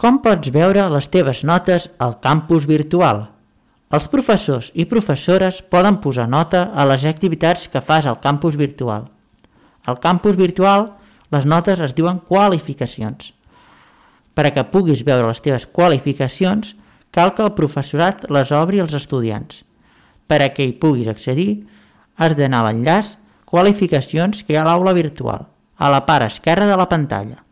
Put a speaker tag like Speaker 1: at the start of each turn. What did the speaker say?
Speaker 1: Com pots veure les teves notes al campus virtual? Els professors i professores poden posar nota a les activitats que fas al campus virtual. Al campus virtual, les notes es diuen qualificacions. Per a que puguis veure les teves qualificacions, cal que el professorat les obri als estudiants. Per a que hi puguis accedir, has d'anar a l'enllaç Qualificacions que hi ha a l'aula virtual, a la part esquerra de la pantalla.